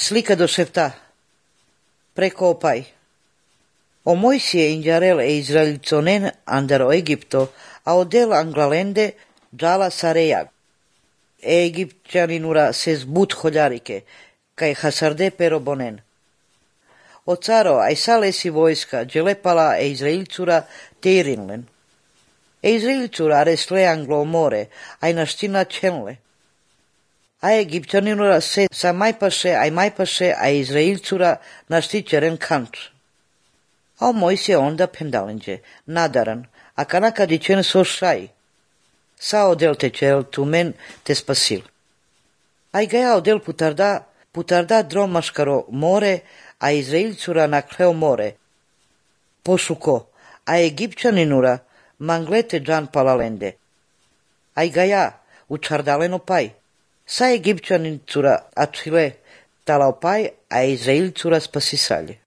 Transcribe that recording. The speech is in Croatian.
Slika do šefta. Preko opaj. O Moisie injarel e Izraelitsonen andar o Egipto, a odel anglalende džala sarejag. E Egipćaninura ses but holjarike, kaj hasarde perobonen. O caro, aj salesi vojska, dželepala e Izraelcura teirinlen. E Izraelcura aresle anglo more, aj naština čenle. A Egipćaninura se sa majpaše, a Izraelcura naštićeren kanč. A o Moisie onda pendalenđe, nadaran, a kanaka dičen so šaj. Sa odel tečel tumen te spasil. Aj gaja odel putarda dromaškaro more, a Izraelcura nakleo more. Pošuko, a Egipćaninura manglete džan palalende. Aj gaja učardaleno paj. Sa Egipćanicura atile talaopaj, a Izraelcura spasisalje.